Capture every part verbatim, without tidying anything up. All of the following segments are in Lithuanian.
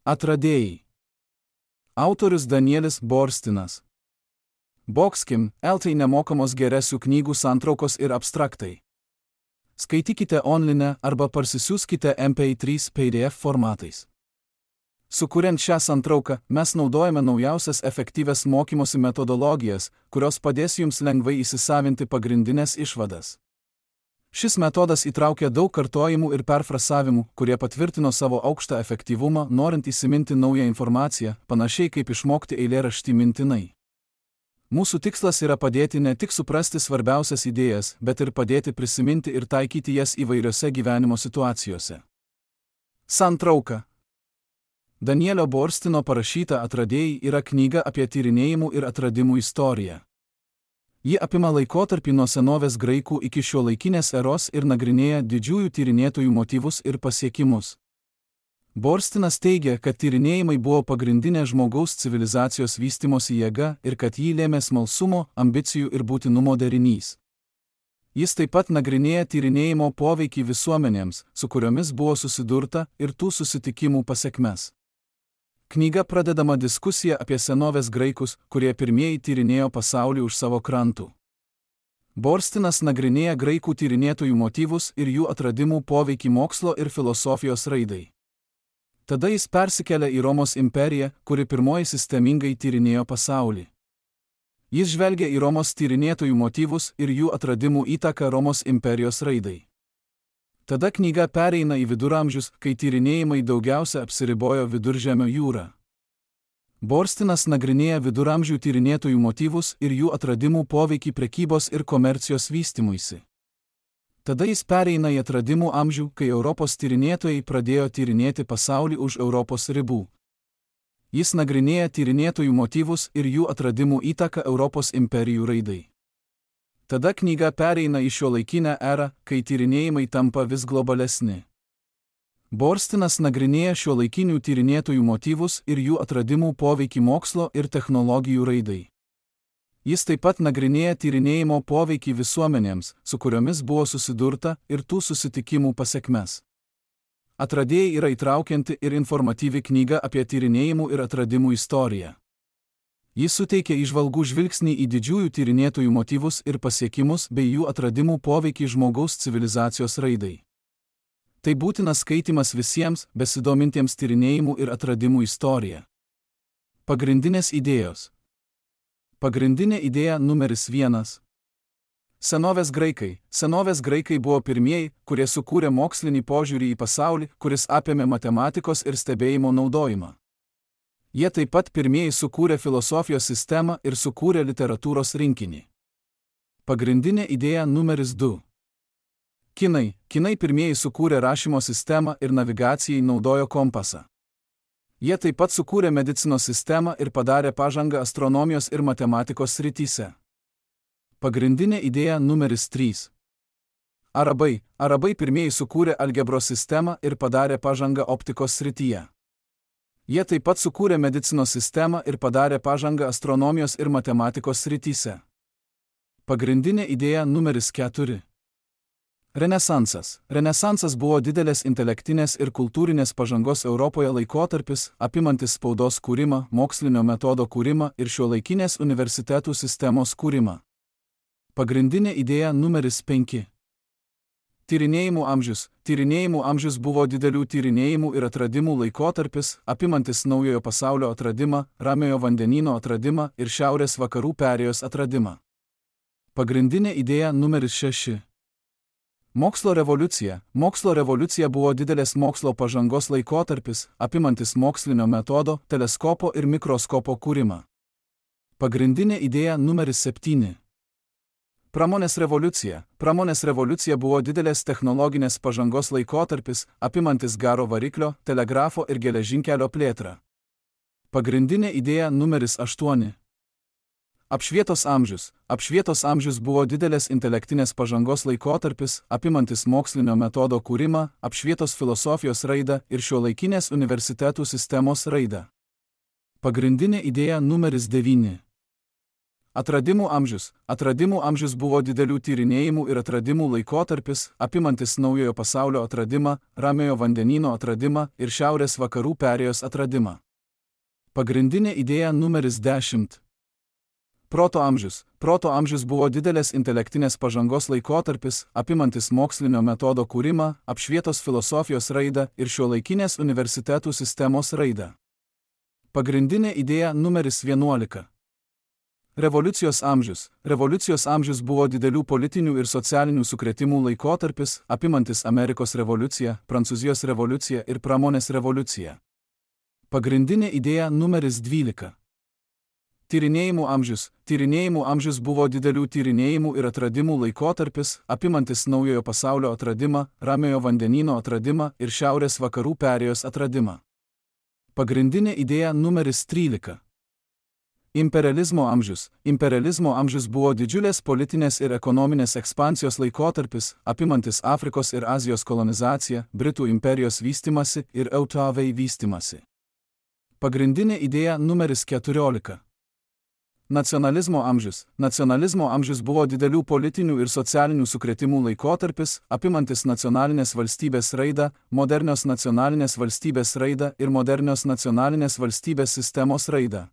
Atradėjai. Autorius Danielis Borstinas. Boxkim, L T nemokamos geresių knygų santraukos ir abstraktai. Skaitykite online arba parsisiųskite M P trys P D F formatais. Sukuriant šią santrauką, mes naudojame naujausias efektyvias mokymosi metodologijas, kurios padės jums lengvai įsisavinti pagrindinės išvadas. Šis metodas įtraukia daug kartojimų ir perfrasavimų, kurie patvirtino savo aukštą efektyvumą, norint įsiminti naują informaciją, panašiai kaip išmokti eilėraštį mintinai. Mūsų tikslas yra padėti ne tik suprasti svarbiausias idėjas, bet ir padėti prisiminti ir taikyti jas įvairiose gyvenimo situacijose. Santrauka. Danielio Borstino parašyta Atradėjai yra knyga apie tyrinėjimų ir atradimų istoriją. Ji apima laikotarpį nuo senovės graikų iki šiuolaikinės eros ir nagrinėja didžiųjų tyrinėtojų motyvus ir pasiekimus. Borstinas teigia, kad tyrinėjimai buvo pagrindinė žmogaus civilizacijos vystimosi jėga ir kad jį lėmė smalsumo, ambicijų ir būtinumo derinys. Jis taip pat nagrinėja tyrinėjimo poveikį visuomenėms, su kuriomis buvo susidurta, ir tų susitikimų pasekmes. Knyga pradedama diskusija apie senovės graikus, kurie pirmieji tyrinėjo pasaulį už savo krantų. Borstinas nagrinėja graikų tyrinėtojų motyvus ir jų atradimų poveikį mokslo ir filosofijos raidai. Tada jis persikelia į Romos imperiją, kuri pirmoji sistemingai tyrinėjo pasaulį. Jis žvelgia į Romos tyrinėtojų motyvus ir jų atradimų įtaką Romos imperijos raidai. Tada knyga pereina į viduramžius, kai tyrinėjimai daugiausia apsiribojo Viduržemio jūrą. Borstinas nagrinėja viduramžių tyrinėtojų motyvus ir jų atradimų poveikį prekybos ir komercijos vystymuisi. Tada jis pereina į atradimų amžių, kai Europos tyrinėtojai pradėjo tyrinėti pasaulį už Europos ribų. Jis nagrinėja tyrinėtojų motyvus ir jų atradimų įtaką Europos imperijų raidai. Tada knyga pereina į šiuolaikinę erą, kai tyrinėjimai tampa vis globalesni. Borstinas nagrinėja šiuolaikinių tyrinėtojų motyvus ir jų atradimų poveikį mokslo ir technologijų raidai. Jis taip pat nagrinėja tyrinėjimo poveikį visuomenėms, su kuriomis buvo susidurta, ir tų susitikimų pasekmes. Atradėjai yra įtraukianti ir informatyvi knyga apie tyrinėjimų ir atradimų istoriją. Jis suteikia įžvalgų žvilgsnį į didžiųjų tyrinėtojų motyvus ir pasiekimus bei jų atradimų poveikį žmogaus civilizacijos raidai. Tai būtinas skaitimas visiems, besidomintiems tyrinėjimų ir atradimų istorija. Pagrindinės idėjos. Pagrindinė idėja numeris vienas. Senovės graikai. Senovės graikai buvo pirmieji, kurie sukūrė mokslinį požiūrį į pasaulį, kuris apėmė matematikos ir stebėjimo naudojimą. Jie taip pat pirmieji sukūrė filosofijos sistemą ir sukūrė literatūros rinkinį. Pagrindinė idėja numeris du. Kinai. Kinai pirmieji sukūrė rašymo sistemą ir navigacijai naudojo kompasą. Jie taip pat sukūrė medicinos sistemą ir padarė pažangą astronomijos ir matematikos srityse. Pagrindinė idėja numeris trys. Arabai. Arabai pirmieji sukūrė algebros sistemą ir padarė pažangą optikos srityje. Jie taip pat sukūrė medicinos sistemą ir padarė pažangą astronomijos ir matematikos srityse. Pagrindinė idėja numeris keturi. Renesansas. Renesansas buvo didelės intelektinės ir kultūrinės pažangos Europoje laikotarpis, apimantis spaudos kūrimą, mokslinio metodo kūrimą ir šiuolaikinės universitetų sistemos kūrimą. Pagrindinė idėja numeris penki. Tyrinėjimų amžius. Tyrinėjimų amžius buvo didelių tyrinėjimų ir atradimų laikotarpis, apimantis naujojo pasaulio atradimą, Ramiojo vandenyno atradimą ir šiaurės vakarų perėjos atradimą. Pagrindinė idėja numeris šeši. Mokslo revoliucija. Mokslo revoliucija buvo didelės mokslo pažangos laikotarpis, apimantis mokslinio metodo, teleskopo ir mikroskopo kūrimą. Pagrindinė idėja numeris septyni. Pramonės revoliucija. Pramonės revoliucija buvo didelės technologinės pažangos laikotarpis, apimantis garo variklio, telegrafo ir geležinkelio plėtrą. Pagrindinė idėja numeris aštuoni. Apšvietos amžius. Apšvietos amžius buvo didelės intelektinės pažangos laikotarpis, apimantis mokslinio metodo kūrimą, apšvietos filosofijos raidą ir šiuolaikinės universitetų sistemos raidą. Pagrindinė idėja numeris devyni. Atradimų amžius. Atradimų amžius buvo didelių tyrinėjimų ir atradimų laikotarpis, apimantis naujojo pasaulio atradimą, Ramiojo vandenyno atradimą ir šiaurės vakarų perėjos atradimą. Pagrindinė idėja numeris dešimt. Proto amžius. Proto amžius buvo didelės intelektinės pažangos laikotarpis, apimantis mokslinio metodo kūrimą, apšvietos filosofijos raidą ir šiuolaikinės universitetų sistemos raidą. Pagrindinė idėja numeris vienuolika. Revoliucijos amžius. Revoliucijos amžius buvo didelių politinių ir socialinių sukrėtimų laikotarpis, apimantis Amerikos revoliuciją, Prancūzijos revoliuciją ir pramonės revoliuciją. Pagrindinė idėja numeris dvylika. Tyrinėjimų amžius. Tyrinėjimų amžius buvo didelių tyrinėjimų ir atradimų laikotarpis, apimantis naujojo pasaulio atradimą, Ramiojo vandenyno atradimą ir šiaurės vakarų perėjos atradimą. Pagrindinė idėja numeris trylika. Imperializmo amžius. Imperializmo amžius buvo didžiulės politinės ir ekonominės ekspansijos laikotarpis, apimantis Afrikos ir Azijos kolonizaciją, Britų imperijos vystimasi ir Eutavei vystimasi. Pagrindinė idėja numeris keturiolika. Nacionalizmo amžius. Nacionalizmo amžius buvo didelių politinių ir socialinių sukrėtimų laikotarpis, apimantis nacionalinės valstybės raidą, modernios nacionalinės valstybės raidą ir modernios nacionalinės valstybės sistemos raidą.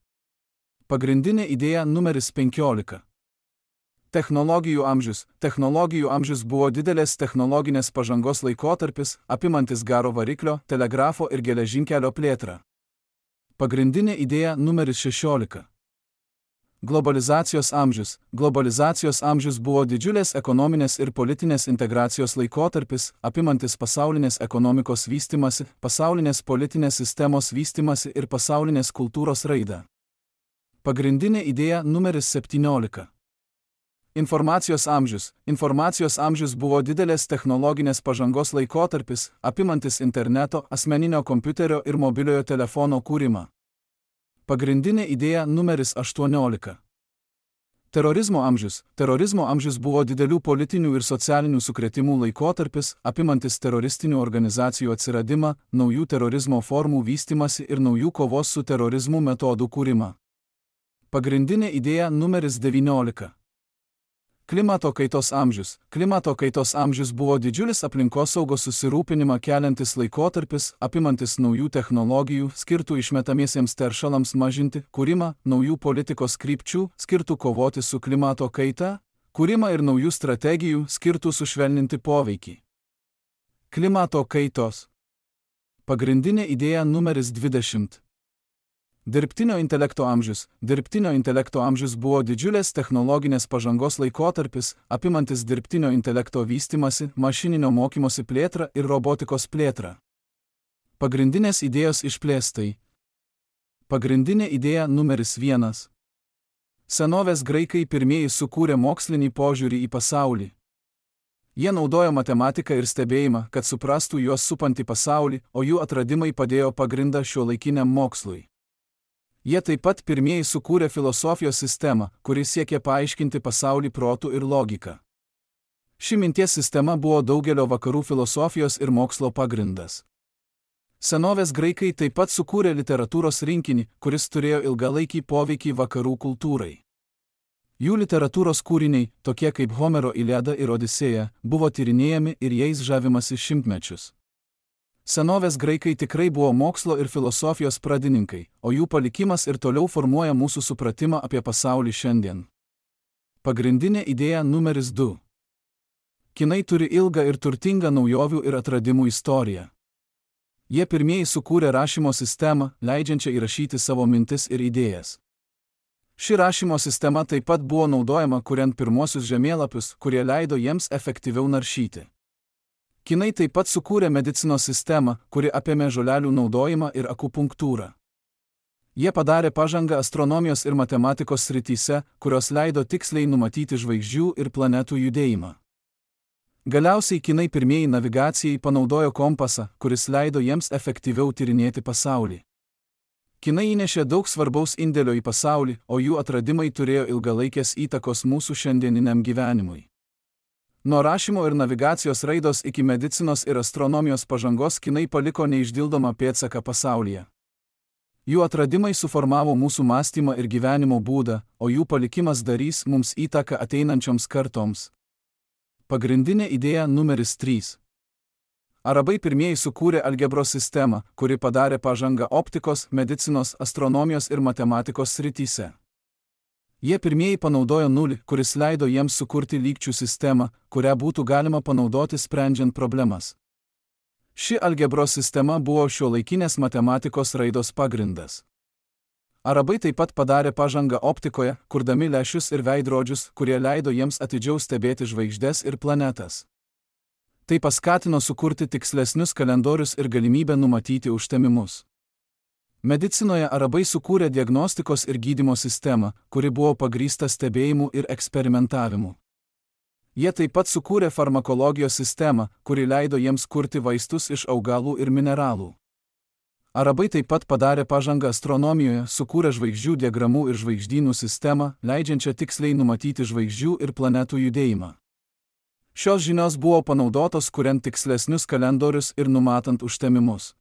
Pagrindinė idėja numeris penkiolika. Technologijų amžius. Technologijų amžius buvo didelės technologinės pažangos laikotarpis, apimantis garo variklio, telegrafo ir geležinkelio plėtrą. Pagrindinė idėja numeris šešiolika. Globalizacijos amžius. Globalizacijos amžius buvo didžiulės ekonominės ir politinės integracijos laikotarpis, apimantis pasaulinės ekonomikos vystimasi, pasaulinės politinės sistemos vystimasi ir pasaulinės kultūros raidą. Pagrindinė idėja numeris septyniolika. Informacijos amžius. Informacijos amžius buvo didelės technologinės pažangos laikotarpis, apimantis interneto, asmeninio kompiuterio ir mobiliojo telefono kūrimą. Pagrindinė idėja numeris aštuoniolika. Terorizmo amžius. Terorizmo amžius buvo didelių politinių ir socialinių sukrėtimų laikotarpis, apimantis teroristinių organizacijų atsiradimą, naujų terorizmo formų vystimasi ir naujų kovos su terorizmu metodų kūrimą. Pagrindinė idėja numeris devyniolika. Klimato kaitos amžius. Klimato kaitos amžius buvo didžiulis aplinkosaugos susirūpinimą keliantis laikotarpis, apimantis naujų technologijų, skirtų išmetamiesiems teršalams mažinti, kūrimą, naujų politikos krypčių, skirtų kovoti su klimato kaita, kūrimą ir naujų strategijų, skirtų sušvelninti poveikį. Klimato kaitos. Pagrindinė idėja numeris dvidešimt. Dirbtinio intelekto amžius. Dirbtinio intelekto amžius buvo didžiulės technologinės pažangos laikotarpis, apimantis dirbtinio intelekto vystimasi, mašininio mokymosi plėtrą ir robotikos plėtrą. Pagrindinės idėjos išplėstai. Pagrindinė idėja numeris vienas. Senovės graikai pirmieji sukūrė mokslinį požiūrį į pasaulį. Jie naudojo matematiką ir stebėjimą, kad suprastų juos supantį pasaulį, o jų atradimai padėjo pagrindą šiuolaikiniam mokslui. Jie taip pat pirmieji sukūrė filosofijos sistemą, kuri siekė paaiškinti pasaulį protu ir logika. Ši minties sistema buvo daugelio vakarų filosofijos ir mokslo pagrindas. Senovės graikai taip pat sukūrė literatūros rinkinį, kuris turėjo ilgalaikį poveikį vakarų kultūrai. Jų literatūros kūriniai, tokie kaip Homero Iliada ir Odisėja, buvo tyrinėjami ir jais žavimasi šimtmečius. Senovės graikai tikrai buvo mokslo ir filosofijos pradininkai, o jų palikimas ir toliau formuoja mūsų supratimą apie pasaulį šiandien. Pagrindinė idėja numeris du. Kinai turi ilgą ir turtingą naujovių ir atradimų istoriją. Jie pirmieji sukūrė rašymo sistemą, leidžiančią įrašyti savo mintis ir idėjas. Ši rašymo sistema taip pat buvo naudojama kuriant pirmuosius žemėlapius, kurie leido jiems efektyviau naršyti. Kinai taip pat sukūrė medicinos sistemą, kuri apėmė žolelių naudojimą ir akupunktūrą. Jie padarė pažangą astronomijos ir matematikos srityse, kurios leido tiksliai numatyti žvaigždžių ir planetų judėjimą. Galiausiai Kinai pirmieji navigacijai panaudojo kompasą, kuris leido jiems efektyviau tyrinėti pasaulį. Kinai įnešė daug svarbaus indėlio į pasaulį, o jų atradimai turėjo ilgalaikės įtakos mūsų šiandieniniam gyvenimui. Nuo rašymo ir navigacijos raidos iki medicinos ir astronomijos pažangos Kinai paliko neišdildomą pėdsaką pasaulyje. Jų atradimai suformavo mūsų mąstymą ir gyvenimo būdą, o jų palikimas darys mums įtaką ateinančioms kartoms. Pagrindinė idėja numeris trys. Arabai pirmieji sukūrė algebros sistemą, kuri padarė pažangą optikos, medicinos, astronomijos ir matematikos srityse. Jie pirmieji panaudojo nulį, kuris leido jiems sukurti lygčių sistemą, kurią būtų galima panaudoti sprendžiant problemas. Ši algebros sistema buvo šiuolaikinės matematikos raidos pagrindas. Arabai taip pat padarė pažangą optikoje, kurdami lęšius ir veidrodžius, kurie leido jiems atidžiau stebėti žvaigždes ir planetas. Tai paskatino sukurti tikslesnius kalendorius ir galimybę numatyti užtemimus. Medicinoje arabai sukūrė diagnostikos ir gydymo sistemą, kuri buvo pagrįsta stebėjimu ir eksperimentavimu. Jie taip pat sukūrė farmakologijos sistemą, kuri leido jiems kurti vaistus iš augalų ir mineralų. Arabai taip pat padarė pažangą astronomijoje, sukūrė žvaigždžių diagramų ir žvaigždynų sistemą, leidžiančią tiksliai numatyti žvaigždžių ir planetų judėjimą. Šios žinios buvo panaudotos kuriant tikslesnius kalendorius ir numatant užtemimus.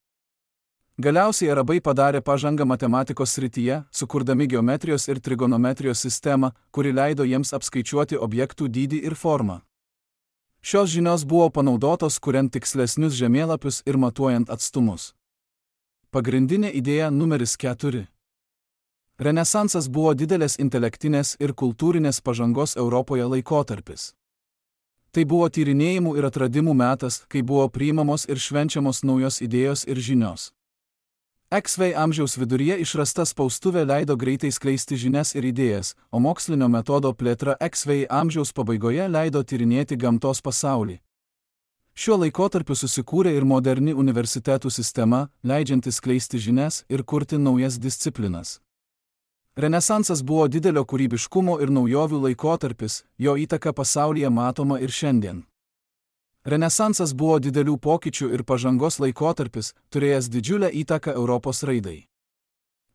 Galiausiai arabai padarė pažangą matematikos srityje, sukurdami geometrijos ir trigonometrijos sistemą, kuri leido jiems apskaičiuoti objektų dydį ir formą. Šios žinios buvo panaudotos kuriant tikslesnius žemėlapius ir matuojant atstumus. Pagrindinė idėja numeris keturi. Renesansas buvo didelės intelektinės ir kultūrinės pažangos Europoje laikotarpis. Tai buvo tyrinėjimų ir atradimų metas, kai buvo priimamos ir švenčiamos naujos idėjos ir žinios. X V amžiaus viduryje išrasta spaustuvė leido greitai skleisti žinias ir idėjas, o mokslinio metodo plėtra X V amžiaus pabaigoje leido tyrinėti gamtos pasaulį. Šiuo laikotarpiu susikūrė ir moderni universitetų sistema, leidžianti skleisti žinias ir kurti naujas disciplinas. Renesansas buvo didelio kūrybiškumo ir naujovių laikotarpis, jo įtaka pasaulyje matoma ir šiandien. Renesansas buvo didelių pokyčių ir pažangos laikotarpis, turėjęs didžiulę įtaką Europos raidai.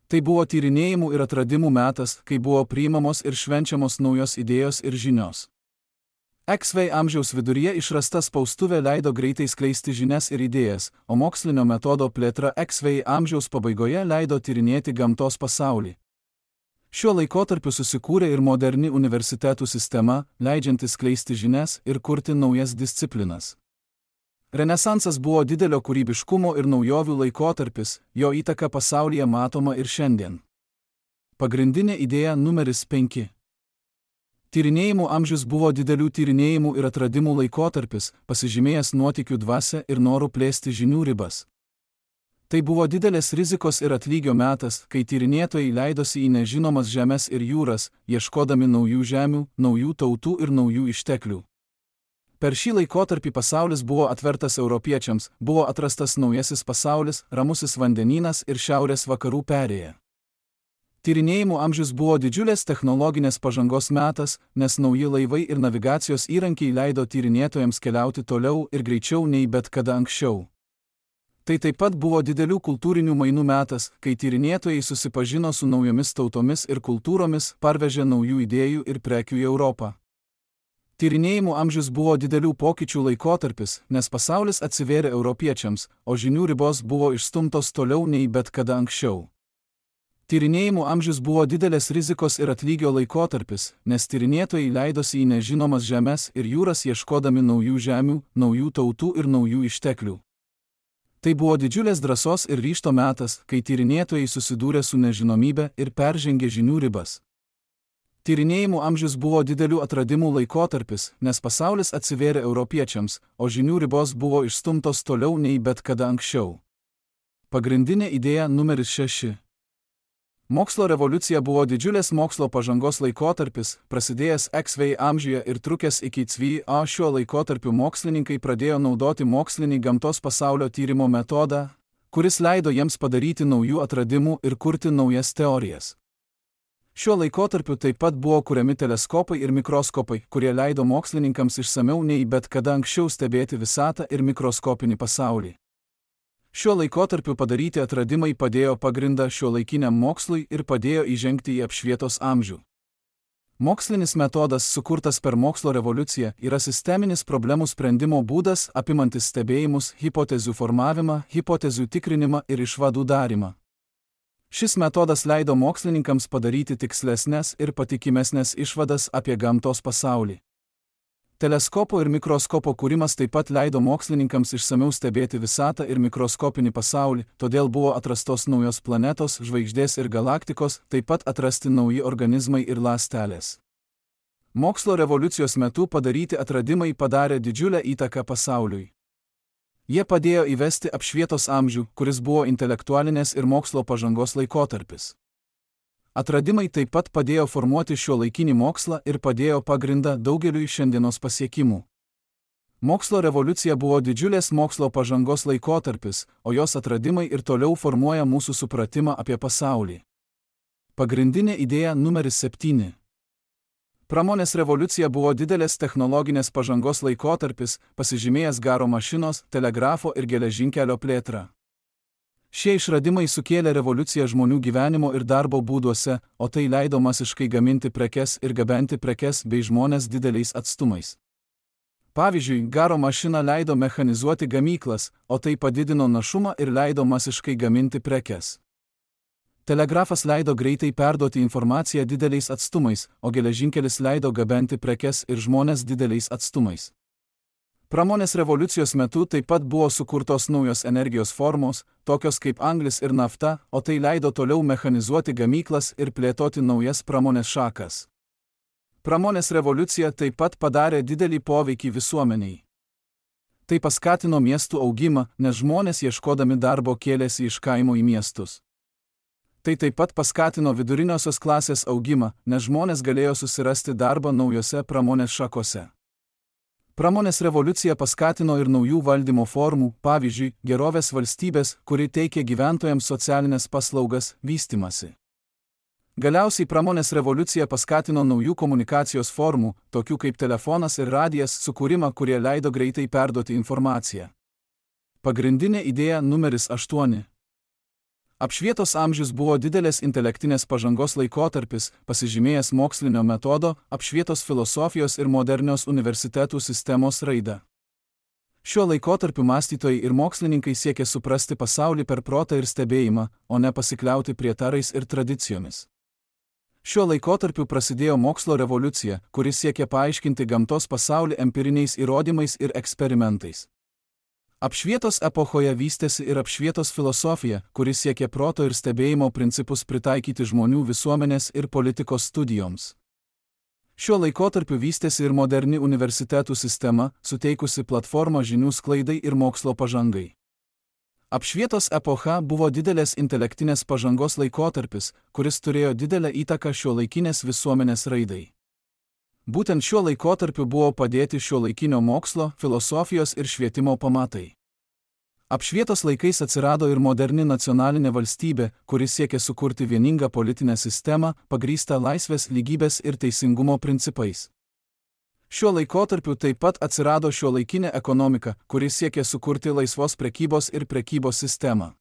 Tai buvo tyrinėjimų ir atradimų metas, kai buvo priimamos ir švenčiamos naujos idėjos ir žinios. X V amžiaus viduryje išrasta spaustuvė leido greitai skleisti žinias ir idėjas, o mokslinio metodo plėtra X V amžiaus pabaigoje leido tyrinėti gamtos pasaulį. Šiuo laikotarpiu susikūrė ir moderni universitetų sistema, leidžianti skleisti žinias ir kurti naujas disciplinas. Renesansas buvo didelio kūrybiškumo ir naujovių laikotarpis, jo įtaka pasaulyje matoma ir šiandien. Pagrindinė idėja numeris penki. Tyrinėjimų amžius buvo didelių tyrinėjimų ir atradimų laikotarpis, pasižymėjęs nuotykių dvasia ir noru plėsti žinių ribas. Tai buvo didelės rizikos ir atlygio metas, kai tyrinėtojai leidosi į nežinomas žemes ir jūras, ieškodami naujų žemių, naujų tautų ir naujų išteklių. Per šį laikotarpį pasaulis buvo atvertas europiečiams, buvo atrastas naujasis pasaulis, ramusis vandenynas ir šiaurės vakarų perėja. Tyrinėjimų amžius buvo didžiulės technologinės pažangos metas, nes nauji laivai ir navigacijos įrankiai leido tyrinėtojams keliauti toliau ir greičiau nei bet kada anksčiau. Tai taip pat buvo didelių kultūrinių mainų metas, kai tyrinėtojai susipažino su naujomis tautomis ir kultūromis, parvežė naujų idėjų ir prekių į Europą. Tyrinėjimų amžius buvo didelių pokyčių laikotarpis, nes pasaulis atsivėrė europiečiams, o žinių ribos buvo išstumtos toliau nei bet kada anksčiau. Tyrinėjimų amžius buvo didelės rizikos ir atlygio laikotarpis, nes tyrinėtojai leidosi į nežinomas žemes ir jūras ieškodami naujų žemių, naujų tautų ir naujų išteklių. Tai buvo didžiulės drąsos ir ryžto metas, kai tyrinėtojai susidūrė su nežinomybe ir peržengė žinių ribas. Tyrinėjimų amžius buvo didelių atradimų laikotarpis, nes pasaulis atsivėrė europiečiams, o žinių ribos buvo išstumtos toliau nei bet kada anksčiau. Pagrindinė idėja numeris šeši. Mokslo revoliucija buvo didžiulės mokslo pažangos laikotarpis, prasidėjęs X V amžiuje ir trukęs iki C V A. Šiuo laikotarpiu mokslininkai pradėjo naudoti mokslinį gamtos pasaulio tyrimo metodą, kuris leido jiems padaryti naujų atradimų ir kurti naujas teorijas. Šiuo laikotarpiu taip pat buvo kuriami teleskopai ir mikroskopai, kurie leido mokslininkams išsamiau nei bet kada anksčiau stebėti visatą ir mikroskopinį pasaulį. Šiuo laikotarpiu padaryti atradimai padėjo pagrindą šiuolaikiniam mokslui ir padėjo įžengti į apšvietos amžių. Mokslinis metodas, sukurtas per mokslo revoliuciją, yra sisteminis problemų sprendimo būdas, apimantis stebėjimus, hipotezių formavimą, hipotezių tikrinimą ir išvadų darymą. Šis metodas leido mokslininkams padaryti tikslesnės ir patikimesnės išvadas apie gamtos pasaulį. Teleskopo ir mikroskopo kūrimas taip pat leido mokslininkams išsamiau stebėti visatą ir mikroskopinį pasaulį, todėl buvo atrastos naujos planetos, žvaigždės ir galaktikos, taip pat atrasti nauji organizmai ir ląstelės. Mokslo revoliucijos metu padaryti atradimai padarė didžiulę įtaką pasauliui. Jie padėjo įvesti apšvietos amžių, kuris buvo intelektualinės ir mokslo pažangos laikotarpis. Atradimai taip pat padėjo formuoti šiuolaikinį mokslą ir padėjo pagrindą daugeliui šiandienos pasiekimų. Mokslo revoliucija buvo didžiulės mokslo pažangos laikotarpis, o jos atradimai ir toliau formuoja mūsų supratimą apie pasaulį. Pagrindinė idėja numeris septyni. Pramonės revoliucija buvo didelės technologinės pažangos laikotarpis, pasižymėjęs garo mašinos, telegrafo ir geležinkelio plėtrą. Šie išradimai sukėlė revoliuciją žmonių gyvenimo ir darbo būduose, o tai leido masiškai gaminti prekes ir gabenti prekes bei žmones dideliais atstumais. Pavyzdžiui, garo mašina leido mechanizuoti gamyklas, o tai padidino našumą ir leido masiškai gaminti prekes. Telegrafas leido greitai perduoti informaciją dideliais atstumais, o geležinkelis leido gabenti prekes ir žmones dideliais atstumais. Pramonės revoliucijos metu taip pat buvo sukurtos naujos energijos formos, tokios kaip anglis ir nafta, o tai leido toliau mechanizuoti gamyklas ir plėtoti naujas pramonės šakas. Pramonės revoliucija taip pat padarė didelį poveikį visuomeniai. Tai paskatino miestų augimą, nes žmonės ieškodami darbo kėlėsi iš kaimo į miestus. Tai taip pat paskatino viduriniosios klasės augimą, nes žmonės galėjo susirasti darbą naujose pramonės šakose. Pramonės revoliucija paskatino ir naujų valdymo formų, pavyzdžiui, gerovės valstybės, kuri teikė gyventojams socialinės paslaugas, vystymasi. Galiausiai pramonės revoliucija paskatino naujų komunikacijos formų, tokių kaip telefonas ir radijas, sukūrimą, kurie leido greitai perduoti informaciją. Pagrindinė idėja numeris aštuoni. Apšvietos amžius buvo didelės intelektinės pažangos laikotarpis, pasižymėjęs mokslinio metodo, apšvietos filosofijos ir modernios universitetų sistemos raidą. Šiuo laikotarpiu mąstytojai ir mokslininkai siekė suprasti pasaulį per protą ir stebėjimą, o ne pasikliauti prietarais ir tradicijomis. Šiuo laikotarpiu prasidėjo mokslo revoliucija, kuri siekė paaiškinti gamtos pasaulį empiriniais įrodymais ir eksperimentais. Apšvietos epochoje vystėsi ir apšvietos filosofija, kuri siekė proto ir stebėjimo principus pritaikyti žmonių visuomenės ir politikos studijoms. Šiuo laikotarpiu vystėsi ir moderni universitetų sistema, suteikusi platformą žinių sklaidai ir mokslo pažangai. Apšvietos epocha buvo didelės intelektinės pažangos laikotarpis, kuris turėjo didelę įtaką šiuolaikinės visuomenės raidai. Būtent šiuo laikotarpiu buvo padėti šiuolaikinio mokslo, filosofijos ir švietimo pamatai. Apšvietos laikais atsirado ir moderni nacionalinė valstybė, kuri siekė sukurti vieningą politinę sistemą, pagrįstą laisvės, lygybės ir teisingumo principais. Šiuo laikotarpiu taip pat atsirado šiuolaikinė ekonomika, kuri siekė sukurti laisvos prekybos ir prekybos sistemą.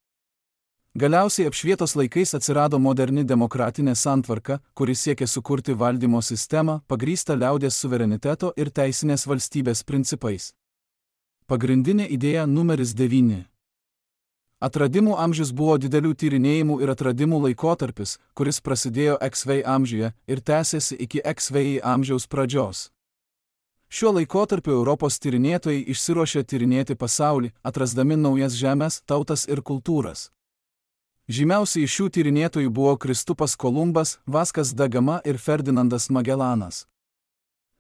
Galiausiai apšvietos laikais atsirado moderni demokratinė santvarka, kuri siekė sukurti valdymo sistemą, pagrįstą liaudies suvereniteto ir teisinės valstybės principais. Pagrindinė idėja numeris devyni. Atradimų amžius buvo didelių tyrinėjimų ir atradimų laikotarpis, kuris prasidėjo X V I amžiuje ir tęsėsi iki X V I amžiaus pradžios. Šiuo laikotarpiu Europos tyrinėtojai išsiruošė tyrinėti pasaulį, atrasdami naujas žemes, tautas ir kultūras. Žymiausi iš šių tyrinėtojų buvo Kristupas Kolumbas, Vaskas da Gama ir Ferdinandas Magellanas.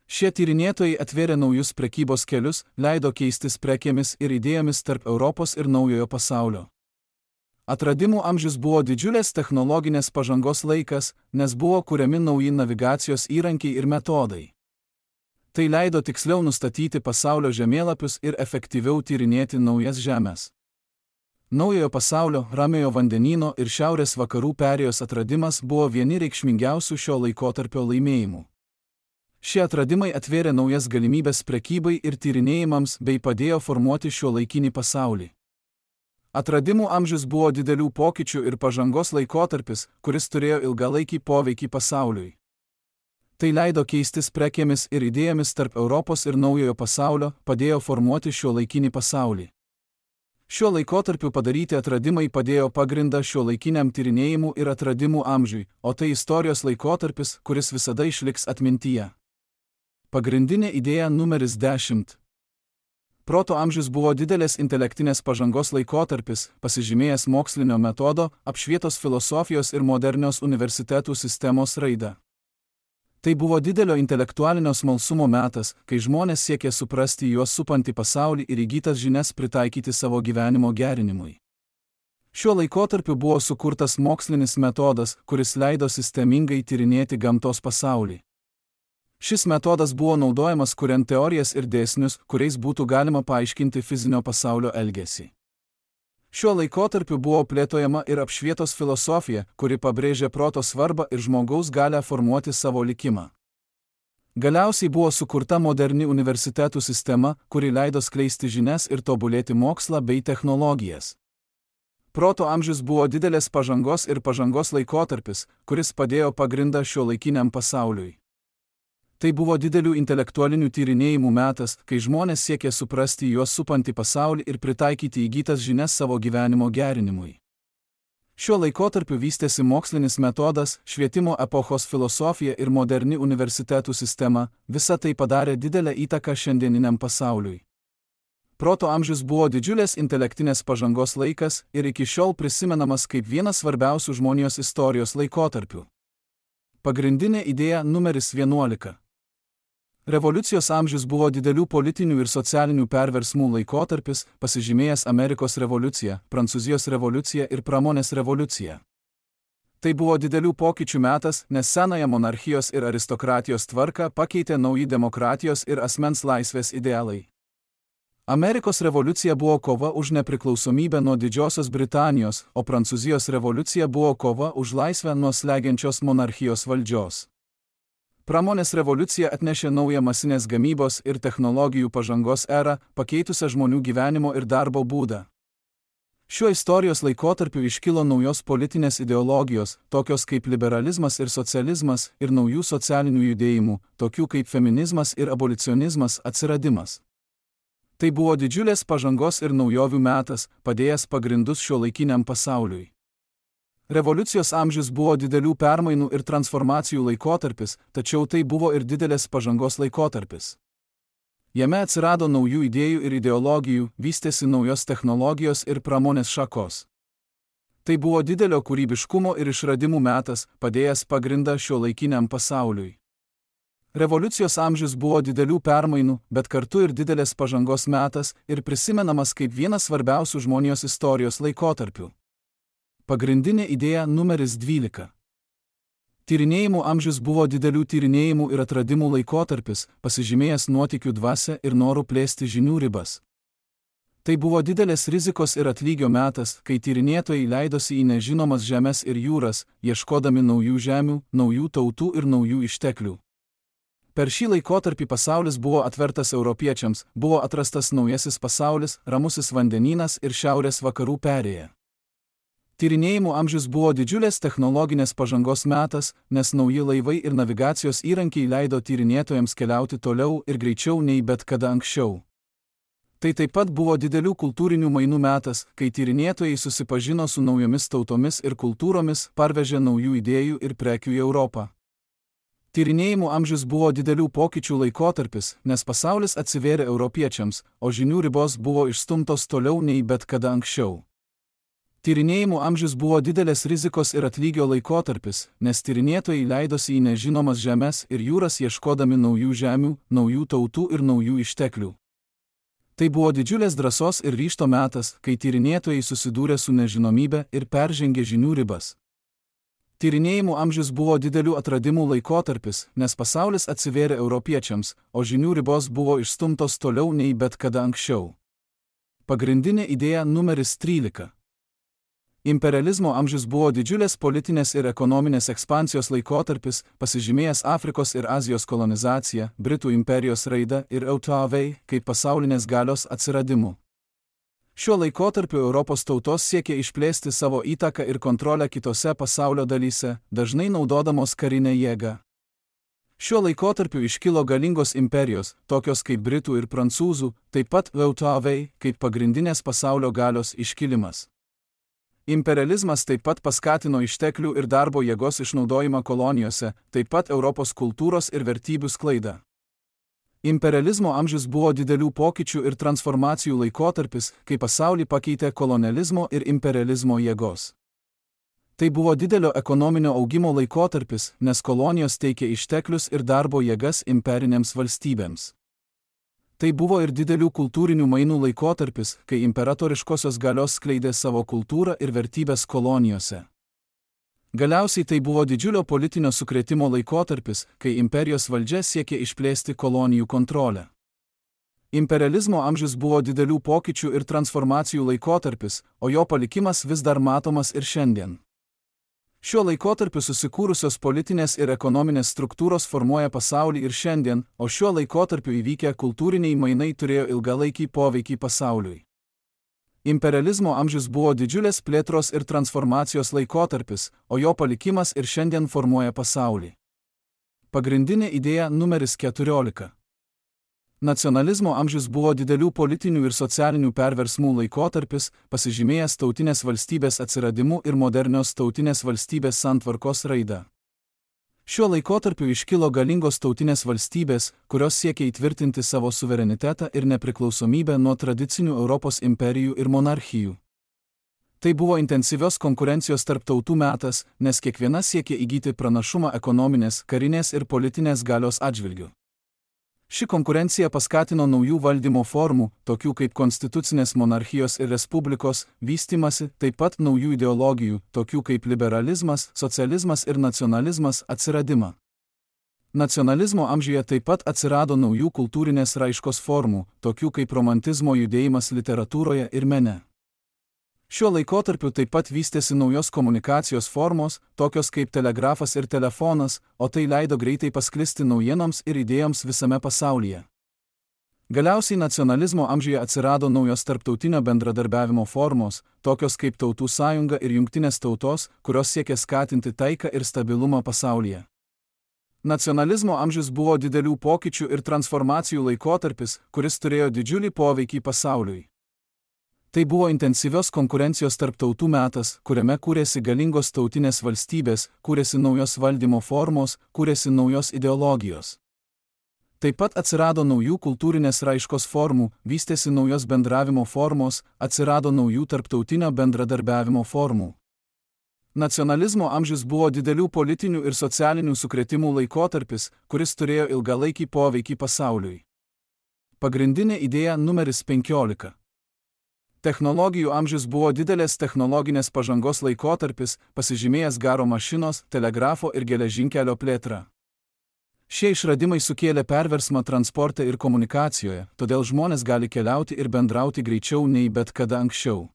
Šie tyrinėtojai atvėrė naujus prekybos kelius, leido keistis prekėmis ir idėjomis tarp Europos ir naujojo pasaulio. Atradimų amžius buvo didžiulės technologinės pažangos laikas, nes buvo kuriami nauji navigacijos įrankiai ir metodai. Tai leido tiksliau nustatyti pasaulio žemėlapius ir efektyviau tyrinėti naujas žemes. Naujojo pasaulio, Ramiojo vandenyno ir šiaurės vakarų perėjos atradimas buvo vieni reikšmingiausių šio laikotarpio laimėjimų. Šie atradimai atvėrė naujas galimybės prekybai ir tyrinėjimams bei padėjo formuoti šiuolaikinį pasaulį. Atradimų amžius buvo didelių pokyčių ir pažangos laikotarpis, kuris turėjo ilgalaikį poveikį pasauliui. Tai leido keistis prekėmis ir idėjomis tarp Europos ir naujojo pasaulio, padėjo formuoti šiuolaikinį pasaulį. Šiuo laikotarpiu padaryti atradimai padėjo pagrindą šiuolaikiniam tyrinėjimų ir atradimų amžiui, o tai istorijos laikotarpis, kuris visada išliks atmintyje. Pagrindinė idėja numeris dešimt. Proto amžius buvo didelės intelektinės pažangos laikotarpis, pasižymėjęs mokslinio metodo, apšvietos filosofijos ir modernios universitetų sistemos raidą. Tai buvo didelio intelektualinio smalsumo metas, kai žmonės siekė suprasti juos supantį pasaulį ir įgytas žinias pritaikyti savo gyvenimo gerinimui. Šiuo laikotarpiu buvo sukurtas mokslinis metodas, kuris leido sistemingai tyrinėti gamtos pasaulį. Šis metodas buvo naudojamas kuriant teorijas ir dėsnius, kuriais būtų galima paaiškinti fizinio pasaulio elgesį. Šiuo laikotarpiu buvo plėtojama ir apšvietos filosofija, kuri pabrėžė proto svarbą ir žmogaus galią formuoti savo likimą. Galiausiai buvo sukurta moderni universitetų sistema, kuri leido skleisti žinias ir tobulėti mokslą bei technologijas. Proto amžius buvo didelės pažangos ir pažangos laikotarpis, kuris padėjo pagrindą šiuolaikiniam pasauliui. Tai buvo didelių intelektualinių tyrinėjimų metas, kai žmonės siekė suprasti juos supantį pasaulį ir pritaikyti įgytas žinias savo gyvenimo gerinimui. Šiuo laikotarpiu vystėsi mokslinis metodas, švietimo epochos filosofija ir moderni universitetų sistema, visa tai padarė didelę įtaką šiandieniniam pasauliui. Proto amžius buvo didžiulės intelektinės pažangos laikas ir iki šiol prisimenamas kaip vienas svarbiausių žmonijos istorijos laikotarpių. Pagrindinė idėja numeris vienuolika. Revoliucijos amžius buvo didelių politinių ir socialinių perversmų laikotarpis, pasižymėjęs Amerikos revoliucija, Prancūzijos revoliucija ir pramonės revoliucija. Tai buvo didelių pokyčių metas, nes senąją monarchijos ir aristokratijos tvarką pakeitė nauji demokratijos ir asmens laisvės idealai. Amerikos revoliucija buvo kova už nepriklausomybę nuo Didžiosios Britanijos, o Prancūzijos revoliucija buvo kova už laisvę nuo slegiančios monarchijos valdžios. Pramonės revoliucija atnešė naują masinės gamybos ir technologijų pažangos erą, pakeitusią žmonių gyvenimo ir darbo būdą. Šiuo istorijos laikotarpiu iškilo naujos politinės ideologijos, tokios kaip liberalizmas ir socializmas, ir naujų socialinių judėjimų, tokių kaip feminizmas ir abolicionizmas atsiradimas. Tai buvo didžiulės pažangos ir naujovių metas, padėjęs pagrindus šiuolaikiniam pasauliui. Revoliucijos amžius buvo didelių permainų ir transformacijų laikotarpis, tačiau tai buvo ir didelės pažangos laikotarpis. Jame atsirado naujų idėjų ir ideologijų, vystėsi naujos technologijos ir pramonės šakos. Tai buvo didelio kūrybiškumo ir išradimų metas, padėjęs pagrindą šiuolaikiniam pasauliui. Revoliucijos amžius buvo didelių permainų, bet kartu ir didelės pažangos metas ir prisimenamas kaip vienas svarbiausių žmonijos istorijos laikotarpių. Pagrindinė idėja numeris dvylika. Tyrinėjimų amžius buvo didelių tyrinėjimų ir atradimų laikotarpis, pasižymėjęs nuotykių dvasia ir norų plėsti žinių ribas. Tai buvo didelės rizikos ir atlygio metas, kai tyrinėtojai leidosi į nežinomas žemes ir jūras, ieškodami naujų žemių, naujų tautų ir naujų išteklių. Per šį laikotarpį pasaulis buvo atvertas europiečiams, buvo atrastas naujasis pasaulis, ramusis vandenynas ir šiaurės vakarų perėja. Tyrinėjimų amžius buvo didžiulės technologinės pažangos metas, nes nauji laivai ir navigacijos įrankiai leido tyrinėtojams keliauti toliau ir greičiau nei bet kada anksčiau. Tai taip pat buvo didelių kultūrinių mainų metas, kai tyrinėtojai susipažino su naujomis tautomis ir kultūromis, parvežė naujų idėjų ir prekių į Europą. Tyrinėjimų amžius buvo didelių pokyčių laikotarpis, nes pasaulis atsivėrė europiečiams, o žinių ribos buvo išstumtos toliau nei bet kada anksčiau. Tyrinėjimų amžius buvo didelės rizikos ir atlygio laikotarpis, nes tyrinėtojai leidosi į nežinomas žemes ir jūras ieškodami naujų žemių, naujų tautų ir naujų išteklių. Tai buvo didžiulės drąsos ir ryžto metas, kai tyrinėtojai susidūrė su nežinomybe ir peržengė žinių ribas. Tyrinėjimų amžius buvo didelių atradimų laikotarpis, nes pasaulis atsivėrė europiečiams, o žinių ribos buvo išstumtos toliau nei bet kada anksčiau. Pagrindinė idėja numeris trylika. Imperializmo amžius buvo didžiulės politinės ir ekonominės ekspansijos laikotarpis, pasižymėjęs Afrikos ir Azijos kolonizacija, Britų imperijos raida ir O T V kaip pasaulinės galios atsiradimu. Šiuo laikotarpiu Europos tautos siekė išplėsti savo įtaką ir kontrolę kitose pasaulio dalyse, dažnai naudodamos karinę jėgą. Šiuo laikotarpiu iškilo galingos imperijos, tokios kaip Britų ir Prancūzų, taip pat V T V kaip pagrindinės pasaulio galios iškilimas. Imperializmas taip pat paskatino išteklių ir darbo jėgos išnaudojimą kolonijose, taip pat Europos kultūros ir vertybių sklaidą. Imperializmo amžius buvo didelių pokyčių ir transformacijų laikotarpis, kai pasaulį pakeitė kolonializmo ir imperializmo jėgos. Tai buvo didelio ekonominio augimo laikotarpis, nes kolonijos teikė išteklius ir darbo jėgas imperinėms valstybėms. Tai buvo ir didelių kultūrinių mainų laikotarpis, kai imperatoriškosios galios skleidė savo kultūrą ir vertybės kolonijose. Galiausiai tai buvo didžiulio politinio sukrėtimo laikotarpis, kai imperijos valdžia siekė išplėsti kolonijų kontrolę. Imperializmo amžius buvo didelių pokyčių ir transformacijų laikotarpis, o jo palikimas vis dar matomas ir šiandien. Šiuo laikotarpiu susikūrusios politinės ir ekonominės struktūros formuoja pasaulį ir šiandien, o šiuo laikotarpiu įvykę kultūriniai mainai turėjo ilgalaikį poveikį pasauliui. Imperializmo amžius buvo didžiulės plėtros ir transformacijos laikotarpis, o jo palikimas ir šiandien formuoja pasaulį. Pagrindinė idėja numeris keturiolika. Nacionalizmo amžius buvo didelių politinių ir socialinių perversmų laikotarpis, pasižymėjęs tautinės valstybės atsiradimu ir modernios tautinės valstybės santvarkos raida. Šiuo laikotarpiu iškilo galingos tautinės valstybės, kurios siekia įtvirtinti savo suverenitetą ir nepriklausomybę nuo tradicinių Europos imperijų ir monarchijų. Tai buvo intensyvios konkurencijos tarp tautų metas, nes kiekviena siekia įgyti pranašumą ekonominės, karinės ir politinės galios atžvilgiu. Ši konkurencija paskatino naujų valdymo formų, tokių kaip konstitucinės monarchijos ir respublikos, vystymasi, taip pat naujų ideologijų, tokių kaip liberalizmas, socializmas ir nacionalizmas atsiradimą. Nacionalizmo amžiuje taip pat atsirado naujų kultūrinės raiškos formų, tokių kaip romantizmo judėjimas literatūroje ir mene. Šiuo laikotarpiu taip pat vystėsi naujos komunikacijos formos, tokios kaip telegrafas ir telefonas, o tai leido greitai pasklisti naujienoms ir idėjoms visame pasaulyje. Galiausiai nacionalizmo amžiuje atsirado naujos tarptautinio bendradarbiavimo formos, tokios kaip Tautų sąjunga ir Jungtinės tautos, kurios siekia skatinti taiką ir stabilumą pasaulyje. Nacionalizmo amžius buvo didelių pokyčių ir transformacijų laikotarpis, kuris turėjo didžiulį poveikį pasauliui. Tai buvo intensyvios konkurencijos tarp tautų metas, kuriame kūrėsi galingos tautinės valstybės, kūrėsi naujos valdymo formos, kūrėsi naujos ideologijos. Taip pat atsirado naujų kultūrinės raiškos formų, vystėsi naujos bendravimo formos, atsirado naujų tarptautinio bendradarbiavimo formų. Nacionalizmo amžius buvo didelių politinių ir socialinių sukrėtimų laikotarpis, kuris turėjo ilgalaikį poveikį pasauliui. Pagrindinė idėja numeris penkiolika. Technologijų amžius buvo didelės technologinės pažangos laikotarpis, pasižymėjęs garo mašinos, telegrafo ir geležinkelio plėtrą. Šie išradimai sukėlė perversmą transporte ir komunikacijoje, todėl žmonės gali keliauti ir bendrauti greičiau nei bet kada anksčiau.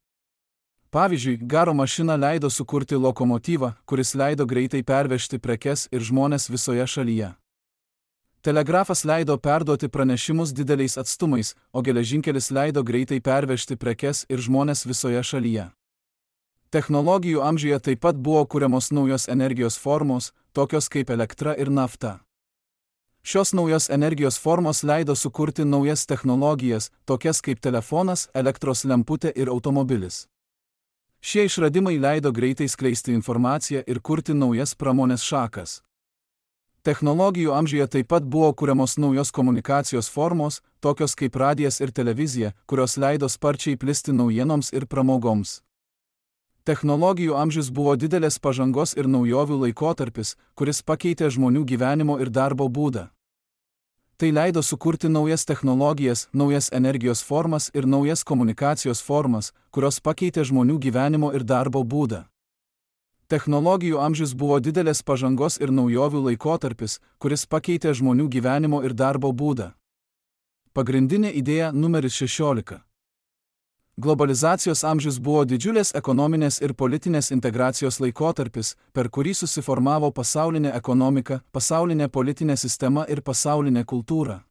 Pavyzdžiui, garo mašina leido sukurti lokomotyvą, kuris leido greitai pervežti prekes ir žmones visoje šalyje. Telegrafas leido perduoti pranešimus dideliais atstumais, o geležinkelis leido greitai pervežti prekes ir žmones visoje šalyje. Technologijų amžiuje taip pat buvo kuriamos naujos energijos formos, tokios kaip elektra ir nafta. Šios naujos energijos formos leido sukurti naujas technologijas, tokias kaip telefonas, elektros lemputė ir automobilis. Šie išradimai leido greitai skleisti informaciją ir kurti naujas pramonės šakas. Technologijų amžiuje taip pat buvo kuriamos naujos komunikacijos formos, tokios kaip radijas ir televizija, kurios leido sparčiai plisti naujienoms ir pramogoms. Technologijų amžius buvo didelės pažangos ir naujovių laikotarpis, kuris pakeitė žmonių gyvenimo ir darbo būdą. Tai leido sukurti naujas technologijas, naujas energijos formas ir naujas komunikacijos formas, kurios pakeitė žmonių gyvenimo ir darbo būdą. Technologijų amžius buvo didelės pažangos ir naujovių laikotarpis, kuris pakeitė žmonių gyvenimo ir darbo būdą. Pagrindinė idėja numeris šešiolika. Globalizacijos amžius buvo didžiulės ekonominės ir politinės integracijos laikotarpis, per kurį susiformavo pasaulinė ekonomika, pasaulinė politinė sistema ir pasaulinė kultūra.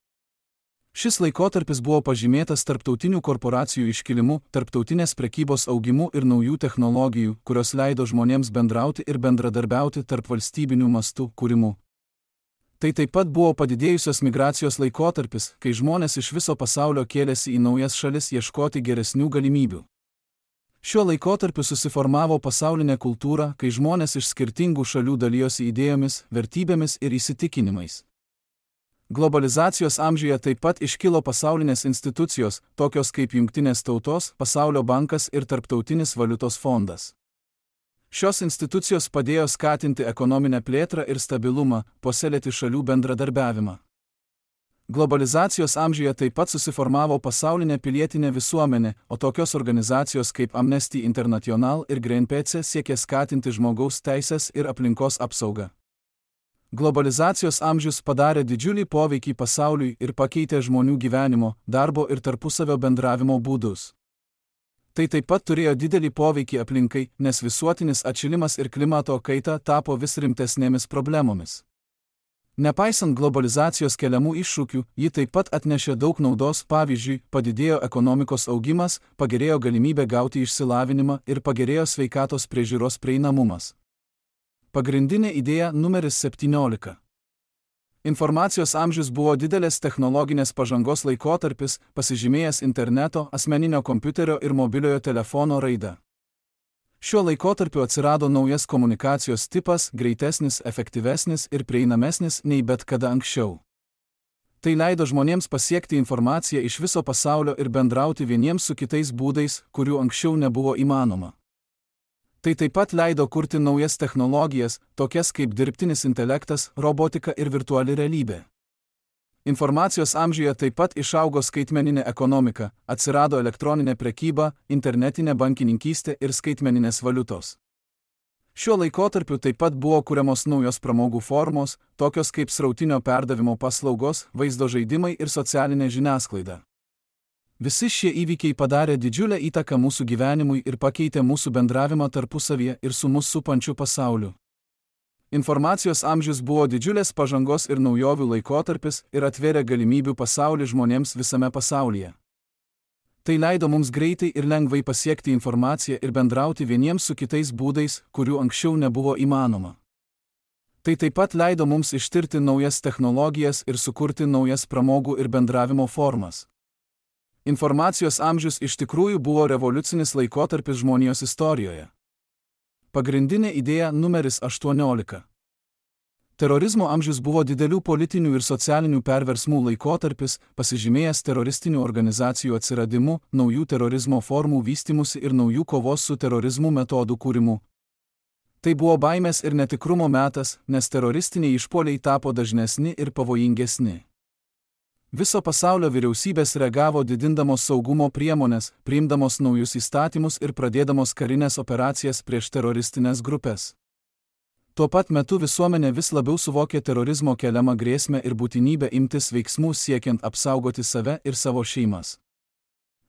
Šis laikotarpis buvo pažymėtas tarptautinių korporacijų iškilimu, tarptautinės prekybos augimu ir naujų technologijų, kurios leido žmonėms bendrauti ir bendradarbiauti tarp valstybinių mastų kūrimu. Tai taip pat buvo padidėjusios migracijos laikotarpis, kai žmonės iš viso pasaulio kėlėsi į naujas šalis ieškoti geresnių galimybių. Šiuo laikotarpiu susiformavo pasaulinė kultūra, kai žmonės iš skirtingų šalių dalijosi idėjomis, vertybėmis ir įsitikinimais. Globalizacijos amžiuje taip pat iškilo pasaulinės institucijos, tokios kaip Jungtinės tautos, Pasaulio bankas ir Tarptautinis valiutos fondas. Šios institucijos padėjo skatinti ekonominę plėtrą ir stabilumą, puoselėti šalių bendradarbiavimą. Globalizacijos amžiuje taip pat susiformavo pasaulinė pilietinė visuomenė, o tokios organizacijos kaip Amnesty International ir Greenpeace siekė skatinti žmogaus teisės ir aplinkos apsaugą. Globalizacijos amžius padarė didžiulį poveikį pasauliui ir pakeitė žmonių gyvenimo, darbo ir tarpusavio bendravimo būdus. Tai taip pat turėjo didelį poveikį aplinkai, nes visuotinis atšilimas ir klimato kaita tapo vis rimtesnėmis problemomis. Nepaisant globalizacijos keliamų iššūkių, ji taip pat atnešė daug naudos, pavyzdžiui, padidėjo ekonomikos augimas, pagerėjo galimybė gauti išsilavinimą ir pagerėjo sveikatos priežiūros prieinamumas. Pagrindinė idėja numeris septyniolika. Informacijos amžius buvo didelės technologinės pažangos laikotarpis, pasižymėjęs interneto, asmeninio kompiuterio ir mobiliojo telefono raida. Šiuo laikotarpiu atsirado naujas komunikacijos tipas, greitesnis, efektyvesnis ir prieinamesnis nei bet kada anksčiau. Tai leido žmonėms pasiekti informaciją iš viso pasaulio ir bendrauti vieniems su kitais būdais, kurių anksčiau nebuvo įmanoma. Tai taip pat leido kurti naujas technologijas, tokias kaip dirbtinis intelektas, robotika ir virtuali realybė. Informacijos amžiuje taip pat išaugo skaitmeninė ekonomika, atsirado elektroninė prekyba, internetinė bankininkystė ir skaitmeninės valiutos. Šiuo laikotarpiu taip pat buvo kuriamos naujos pramogų formos, tokios kaip srautinio perdavimo paslaugos, vaizdo žaidimai ir socialinė žiniasklaida. Visi šie įvykiai padarė didžiulę įtaką mūsų gyvenimui ir pakeitė mūsų bendravimą tarpusavyje ir su mus supančiu pasauliu. Informacijos amžius buvo didžiulės pažangos ir naujovių laikotarpis ir atvėrė galimybių pasaulį žmonėms visame pasaulyje. Tai leido mums greitai ir lengvai pasiekti informaciją ir bendrauti vieniems su kitais būdais, kurių anksčiau nebuvo įmanoma. Tai taip pat leido mums ištirti naujas technologijas ir sukurti naujas pramogų ir bendravimo formas. Informacijos amžius iš tikrųjų buvo revoliucinis laikotarpis žmonijos istorijoje. Pagrindinė idėja numeris aštuoniolika. Terorizmo amžius buvo didelių politinių ir socialinių perversmų laikotarpis, pasižymėjęs teroristinių organizacijų atsiradimu, naujų terorizmo formų vystimusi ir naujų kovos su terorizmu metodų kūrimu. Tai buvo baimės ir netikrumo metas, nes teroristiniai išpuoliai tapo dažnesni ir pavojingesni. Viso pasaulio vyriausybės reagavo didindamos saugumo priemonės, priimdamos naujus įstatymus ir pradėdamos karinės operacijas prieš teroristinės grupės. Tuo pat metu visuomenė vis labiau suvokė terorizmo keliamą grėsmę ir būtinybę imtis veiksmų siekiant apsaugoti save ir savo šeimas.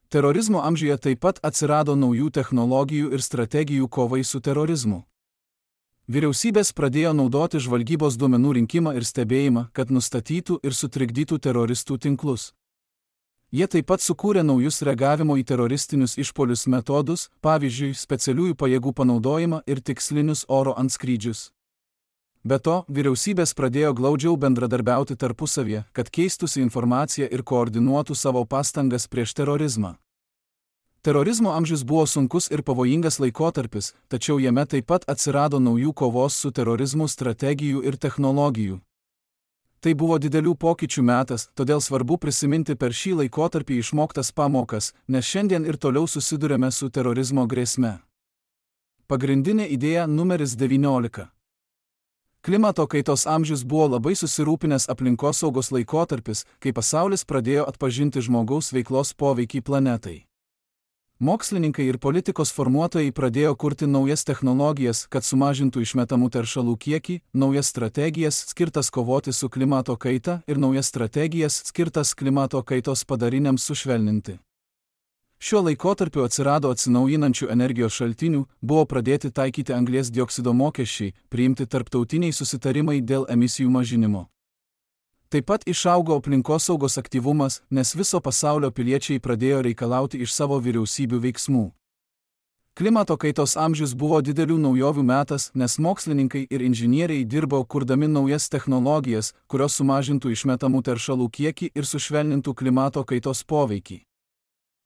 Terorizmo amžiuje taip pat atsirado naujų technologijų ir strategijų kovai su terorizmu. Vyriausybės pradėjo naudoti žvalgybos duomenų rinkimą ir stebėjimą, kad nustatytų ir sutrikdytų teroristų tinklus. Jie taip pat sukūrė naujus reagavimo į teroristinius išpuolius metodus, pavyzdžiui, specialiųjų pajėgų panaudojimą ir tikslinius oro antskrydžius. Be to, vyriausybės pradėjo glaudžiau bendradarbiauti tarpusavyje, kad keistųsi informaciją ir koordinuotų savo pastangas prieš terorizmą. Terorizmo amžius buvo sunkus ir pavojingas laikotarpis, tačiau jame taip pat atsirado naujų kovos su terorizmu strategijų ir technologijų. Tai buvo didelių pokyčių metas, todėl svarbu prisiminti per šį laikotarpį išmoktas pamokas, nes šiandien ir toliau susidurėme su terorizmo grėsme. Pagrindinė idėja numeris devyniolika. Klimato kaitos amžius buvo labai susirūpinęs aplinkosaugos laikotarpis, kai pasaulis pradėjo atpažinti žmogaus veiklos poveikį planetai. Mokslininkai ir politikos formuotojai pradėjo kurti naujas technologijas, kad sumažintų išmetamų teršalų kiekį, naujas strategijas skirtas kovoti su klimato kaita ir naujas strategijas skirtas klimato kaitos padariniams sušvelninti. Šiuo laikotarpiu atsirado atsinaujinančių energijos šaltinių, buvo pradėti taikyti anglies dioksido mokesčiai, priimti tarptautiniai susitarimai dėl emisijų mažinimo. Taip pat išaugo aplinkosaugos aktyvumas, nes viso pasaulio piliečiai pradėjo reikalauti iš savo vyriausybių veiksmų. Klimato kaitos amžius buvo didelių naujovių metas, nes mokslininkai ir inžinieriai dirbo kurdami naujas technologijas, kurios sumažintų išmetamų teršalų kiekį ir sušvelnintų klimato kaitos poveikį.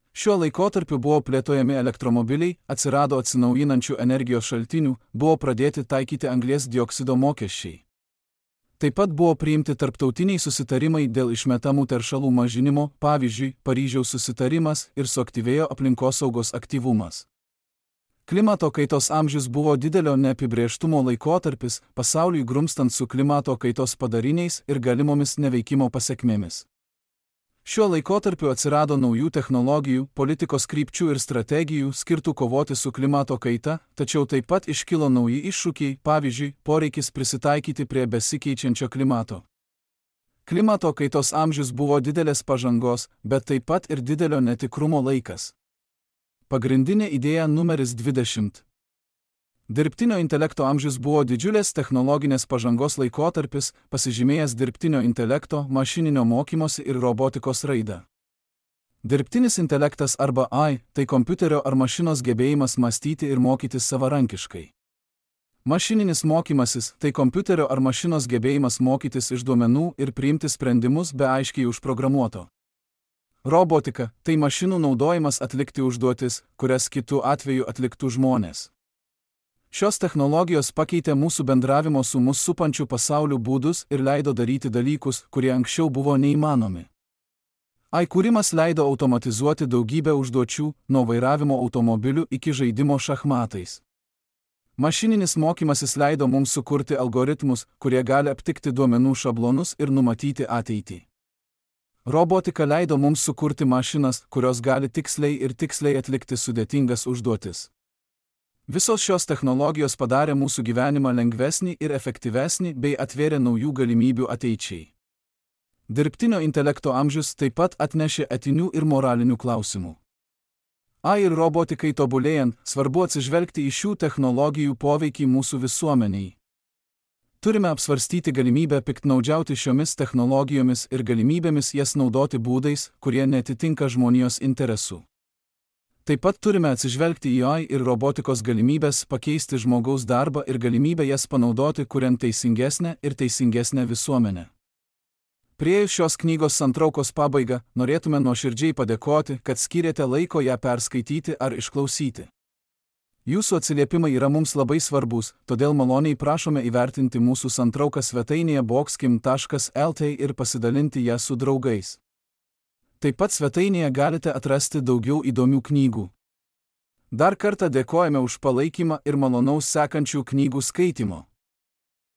Šiuo laikotarpiu buvo plėtojami elektromobiliai, atsirado atsinaujinančių energijos šaltinių, buvo pradėti taikyti anglies dioksido mokesčiai. Taip pat buvo priimti tarptautiniai susitarimai dėl išmetamų teršalų mažinimo, pavyzdžiui, Paryžiaus susitarimas, ir suaktyvėjo aplinkosaugos aktyvumas. Klimato kaitos amžius buvo didelio neapibrėžtumo laikotarpis, pasauliui grumstant su klimato kaitos padariniais ir galimomis neveikimo pasekmėmis. Šiuo laikotarpiu atsirado naujų technologijų, politikos krypčių ir strategijų skirtų kovoti su klimato kaita, tačiau taip pat iškilo nauji iššūkiai, pavyzdžiui, poreikis prisitaikyti prie besikeičiančio klimato. Klimato kaitos amžius buvo didelės pažangos, bet taip pat ir didelio netikrumo laikas. Pagrindinė idėja numeris dvidešimt. Dirbtinio intelekto amžius buvo didžiulės technologinės pažangos laikotarpis, pasižymėjęs dirbtinio intelekto, mašininio mokymosi ir robotikos raidą. Dirbtinis intelektas arba A I – tai kompiuterio ar mašinos gebėjimas mąstyti ir mokytis savarankiškai. Mašininis mokymasis – tai kompiuterio ar mašinos gebėjimas mokytis iš duomenų ir priimti sprendimus be aiškiai užprogramuoto. Robotika – tai mašinų naudojimas atlikti užduotis, kurias kitų atveju atliktų žmonės. Šios technologijos pakeitė mūsų bendravimo su mus supančiu pasauliu būdus ir leido daryti dalykus, kurie anksčiau buvo neįmanomi. A I kūrimas leido automatizuoti daugybę užduočių, nuo vairavimo automobiliu iki žaidimo šachmatais. Mašininis mokymasis leido mums sukurti algoritmus, kurie gali aptikti duomenų šablonus ir numatyti ateitį. Robotika leido mums sukurti mašinas, kurios gali tiksliai ir tiksliai atlikti sudėtingas užduotis. Visos šios technologijos padarė mūsų gyvenimą lengvesnį ir efektyvesnį bei atvėrė naujų galimybių ateičiai. Dirbtinio intelekto amžius taip pat atnešė etinių ir moralinių klausimų. A I ir robotikai tobulėjant, svarbu atsižvelgti į šių technologijų poveikį mūsų visuomeniai. Turime apsvarstyti galimybę piktnaudžiauti šiomis technologijomis ir galimybėmis jas naudoti būdais, kurie netitinka žmonijos interesų. Taip pat turime atsižvelgti į A I ir robotikos galimybės pakeisti žmogaus darbą ir galimybę jas panaudoti, kuriant teisingesnę ir teisingesnę visuomenę. Priėjus šios knygos santraukos pabaigą, norėtume nuoširdžiai padėkoti, kad skyrėte laiko ją perskaityti ar išklausyti. Jūsų atsiliepimai yra mums labai svarbus, todėl maloniai prašome įvertinti mūsų santrauką svetainėje boxkim taškas el t ir pasidalinti ją su draugais. Taip pat svetainėje galite atrasti daugiau įdomių knygų. Dar kartą dėkojame už palaikymą ir malonaus sekančių knygų skaitymo.